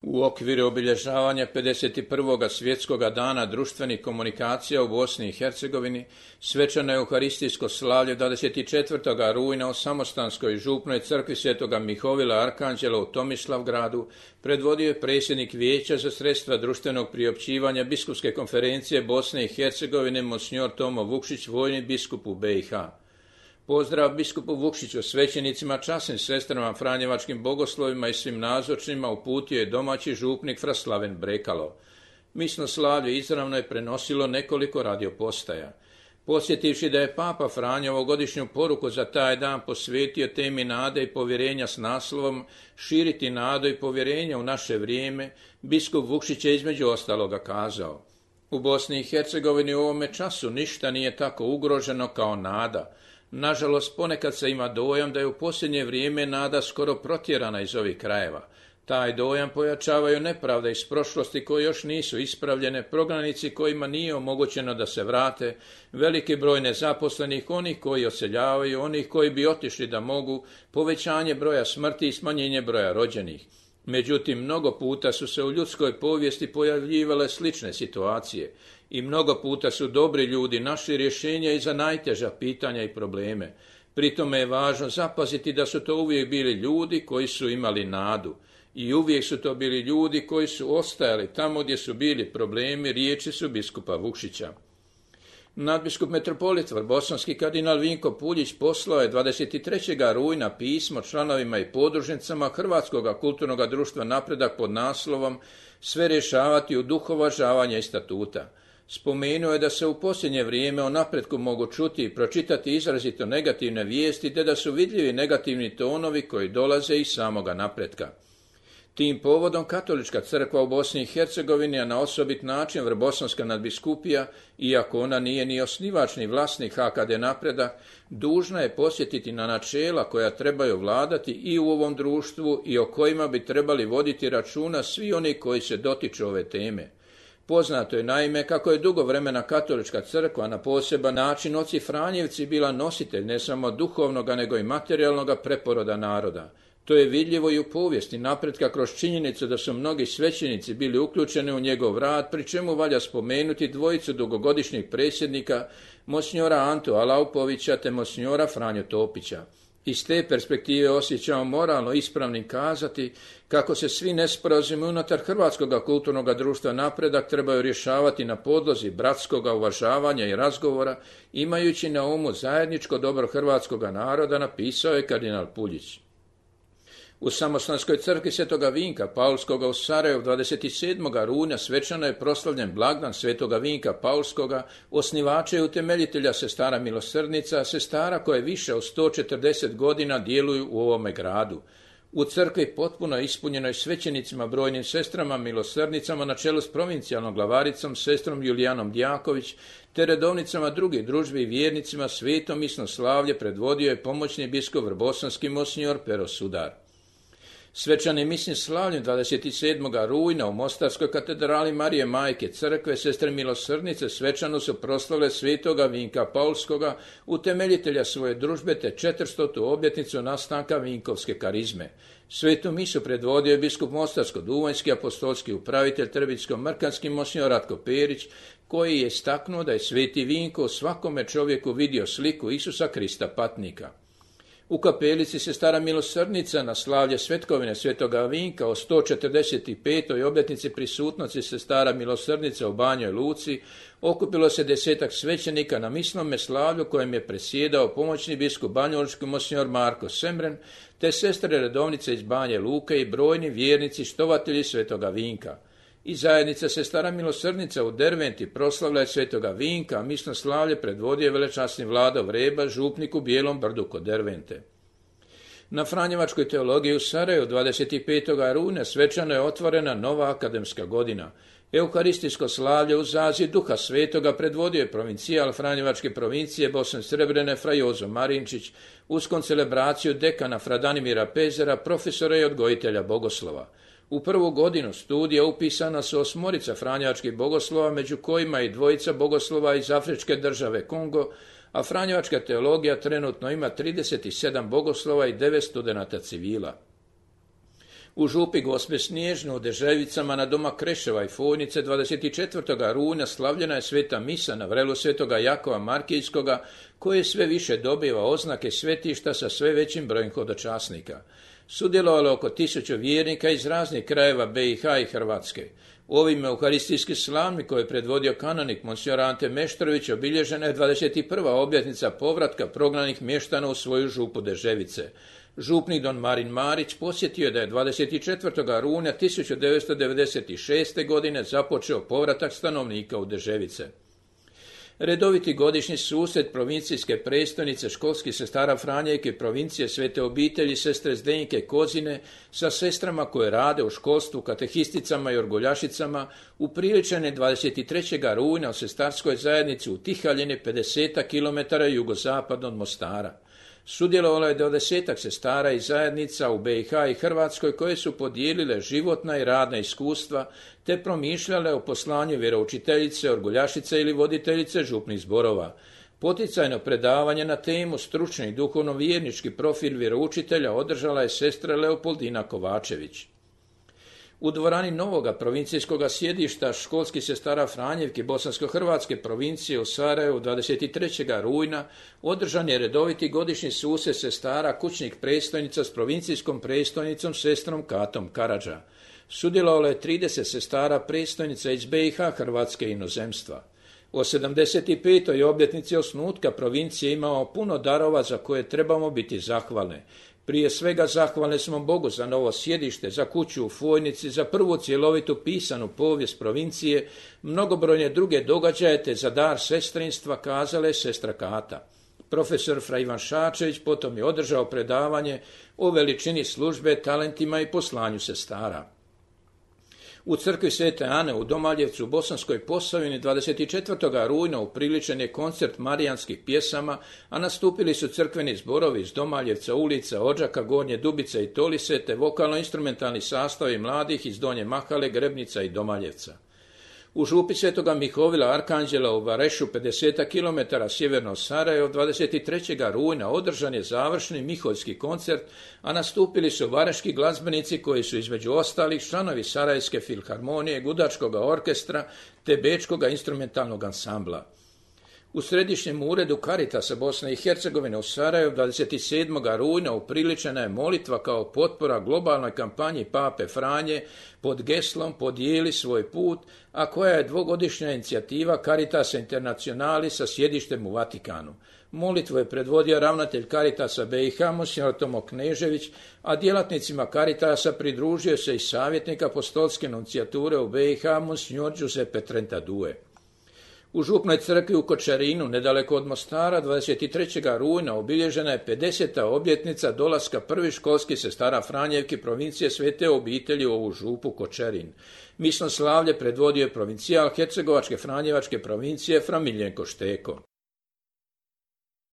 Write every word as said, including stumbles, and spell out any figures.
U okviru obilježavanja pedeset prvog svjetskog dana društvenih komunikacija u Bosni i Hercegovini svečano euharistijsko slavlje dvadeset četvrtog rujna u Samostanskoj župnoj crkvi Svetoga Mihovila Arkanđela u Tomislavgradu predvodio je predsjednik Vijeća za sredstva društvenog priopćivanja Biskupske konferencije Bosne i Hercegovine monsignor Tomo Vukšić, vojni biskup u B i H. Pozdrav biskupu Vukšiću, svećenicima, časnim sestrama, franjevačkim bogoslovima i svim nazočnima uputio je domaći župnik fra Slaven Brekalo. Misno slavlje izravno je prenosilo nekoliko radiopostaja. Podsjetivši da je Papa Franjo ovogodišnju poruku za taj dan posvetio temi nade i povjerenja s naslovom "Širiti nadu i povjerenje u naše vrijeme", biskup Vukšić je između ostaloga kazao: "U Bosni i Hercegovini u ovome času ništa nije tako ugroženo kao nada. Nažalost, ponekad se ima dojam da je u posljednje vrijeme nada skoro protjerana iz ovih krajeva. Taj dojam pojačavaju nepravde iz prošlosti koje još nisu ispravljene, prognanici kojima nije omogućeno da se vrate, veliki broj nezaposlenih, onih koji odseljavaju, onih koji bi otišli da mogu, povećanje broja smrti i smanjenje broja rođenih. Međutim, mnogo puta su se u ljudskoj povijesti pojavljivale slične situacije i mnogo puta su dobri ljudi našli rješenja i za najteža pitanja i probleme. Pri tome je važno zapaziti da su to uvijek bili ljudi koji su imali nadu i uvijek su to bili ljudi koji su ostajali tamo gdje su bili problemi, riječi su biskupa Vukšića. Nadbiskup metropolit Vrbosanski kardinal Vinko Puljić poslao je dvadeset trećeg rujna pismo članovima i podružnicama Hrvatskog kulturnog društva Napredak pod naslovom "Sve rješavati u duhu uvažavanja i statuta". Spomenuo je da se u posljednje vrijeme o napretku mogu čuti i pročitati izrazito negativne vijesti, te da su vidljivi negativni tonovi koji dolaze iz samoga napretka. Tim povodom Katolička crkva u Bosni i Hercegovini, a na osobit način Vrbosanska nadbiskupija, iako ona nije ni osnivač ni vlasnik H K D Napredak, dužna je podsjetiti na načela koja trebaju vladati i u ovom društvu i o kojima bi trebali voditi računa svi oni koji se dotiču ove teme. Poznato je naime kako je dugo vremena Katolička crkva na poseban način oci Franjevci bila nositelj ne samo duhovnoga nego i materijalnoga preporoda naroda. To je vidljivo i u povijesti napretka kroz činjenicu da su mnogi svećenici bili uključeni u njegov rad, pri čemu valja spomenuti dvojicu dugogodišnjih predsjednika, monsignora Antu Alaupovića te monsignora Franju Topića. Iz te perspektive osjećamo moralno ispravnim kazati kako se svi nesporazumi unutar Hrvatskog kulturnog društva Napredak trebaju rješavati na podlozi bratskog uvažavanja i razgovora, imajući na umu zajedničko dobro hrvatskog naroda, napisao je kardinal Puljić. U Samostanskoj crkvi Svetoga Vinka Paulskoga u Sarajevu dvadeset sedmog rujna svečano je proslavljen blagdan Svetoga Vinka Paulskoga, osnivača i utemeljitelja sestara milosrdnica, sestara koje više od sto četrdeset godina djeluju u ovome gradu. U crkvi potpuno ispunjenoj svećenicima, brojnim sestrama milosrdnicama na čelu s provincijalnom glavaricom sestrom Julijanom Djaković, te redovnicama drugih družbi i vjernicima, sveto misno slavlje predvodio je pomoćni biskup vrbosanski monsignor Pero Sudar. Svečani misni slavljen dvadeset sedmog rujna u Mostarskoj katedrali Marije Majke crkve sestre milosrdnice svečano su proslavile Svetoga Vinka Paulskoga, utemeljitelja svoje družbe, te četiristotu obljetnicu nastanka vinkovske karizme. Svetu misu predvodio je biskup Mostarsko-duvanjski apostolski upravitelj Trbitsko-mrkanski monsignor Ratko Perić, koji je istaknuo da je Sveti Vinko u svakome čovjeku vidio sliku Isusa Krista patnika. U kapelici sestara milosrdnica na slavlje svetkovine Svetoga Vinka o sto četrdeset petoj obljetnici prisutnosti sestara milosrdnica u Banjoj Luci okupilo se desetak svećenika na misnome slavlju kojem je presjedao pomoćni biskup banjalučki monsignor Marko Semren, te sestre redovnice iz Banje Luke i brojni vjernici štovatelji Svetoga Vinka. I zajednica sestara milosrdnica u Derventi proslavlja je Svetoga Vinka, a misno slavlje predvodio velečasni Vlado Vreba, župnik u Bijelom brdu kod Dervente. Na Franjevačkoj teologiji u Sarajevu dvadeset petog rujna svečano je otvorena nova akademska godina. Euharistijsko slavlje u zazi Duha Svetoga predvodio je provincijal Franjevačke provincije Bosne Srebrene fra Jozo Marinčić uz koncelebraciju dekana fra Danimira Pezera, profesora i odgojitelja bogoslova. U prvu godinu studija upisana su osmorica franjevačkih bogoslova, među kojima i dvojica bogoslova iz Afričke države Kongo, a franjevačka teologija trenutno ima trideset sedam bogoslova i devet studenata civila. U župi Gospe Snježne u Deževicama na doma Kreševa i Fojnice dvadeset četvrtog rujna slavljena je sveta misa na vrelu svetoga Jakova Markijskoga, koje sve više dobiva oznake svetišta sa sve većim brojem hodočasnika. Sudjelovalo oko tisuću vjernika iz raznih krajeva B i H i Hrvatske. U ovim euharistijskim slavmi koje je predvodio kanonik Monsignor Ante Meštrović obilježena je dvadeset prva obljetnica povratka prognanih mještana u svoju župu Deževice. Župnik don Marin Marić posjetio je da je dvadeset četvrtog rujna tisuću devetsto devedeset šeste. godine započeo povratak stanovnika u Deževice. Redoviti godišnji susret provincijske prestonice školskih sestara Franjevke provincije Svete obitelji sestre Zdenke Kozine sa sestrama koje rade u školstvu, katehisticama i orguljašicama upriličen je dvadeset trećeg rujna u sestarskoj zajednici u Tihaljini pedeset kilometara jugozapad od Mostara. Sudjelovalo je dvadesetak sestara i zajednica u B i H i Hrvatskoj koje su podijelile životna i radna iskustva te promišljale o poslanju vjeroučiteljice, orguljašice ili voditeljice župnih zborova. Poticajno predavanje na temu stručni i duhovno-vjernički profil vjeroučitelja održala je sestra Leopoldina Kovačević. U dvorani novoga provincijskog sjedišta školskih sestara Franjevke Bosansko-hrvatske provincije u Sarajevu dvadeset trećeg rujna održan je redoviti godišnji susret sestara kućnih predstojnica s provincijskom predstojnicom sestrom Katom Karadža. Sudjelovalo je trideset sestara predstojnica iz B i H, Hrvatske i inozemstva. O sedamdeset petoj obljetnici osnutka provincije imamo puno darova za koje trebamo biti zahvalne. Prije svega zahvalni smo Bogu za novo sjedište, za kuću u Fojnici, za prvu cjelovitu pisanu povijest provincije, mnogobrojne druge događaje te za dar sestrinstva, kazala je sestra Kata. Profesor Fra Ivan Šačević potom je održao predavanje o veličini službe, talentima i poslanju sestara. U crkvi Svete Ane u Domaljevcu u Bosanskoj Posavini dvadeset četvrtog rujna upriličen je koncert marijanskih pjesama, a nastupili su crkveni zborovi iz Domaljevca, Ulica, Odžaka, Gornje Dubice i Tolise, te vokalno-instrumentalni sastavi mladih iz Donje Mahale, Grebnica i Domaljevca. U župi Svetoga Mihovila Arkanđela u Varešu pedeset kilometara sjeverno od Sarajeva dvadeset trećeg rujna održan je završni miholjski koncert, a nastupili su vareški glazbenici koji su između ostalih članovi Sarajevske filharmonije, Gudačkog orkestra te Bečkog instrumentalnog ansambla. U Središnjem uredu Caritasa Bosne i Hercegovine u Sarajevu dvadeset sedmog rujna upriličena je molitva kao potpora globalnoj kampanji Pape Franje pod geslom Podijeli svoj put, a koja je dvogodišnja inicijativa Caritasa Internationali sa sjedištem u Vatikanu. Molitvu je predvodio ravnatelj Caritasa B i H, Monsignor Tomo Knežević, a djelatnicima Caritasa pridružio se i savjetnik apostolske nuncijature u B i H, Monsignor Giuseppe Trentadue. U župnoj crkvi u Kočarinu, nedaleko od Mostara, dvadeset trećeg rujna obilježena je pedeseta obljetnica dolaska prvih školskih sestara Franjevke provincije Svete obitelji u ovu župu Kočarin. Misno slavlje predvodio je provincijal Hercegovačke Franjevačke provincije Fra Miljenko Šteko.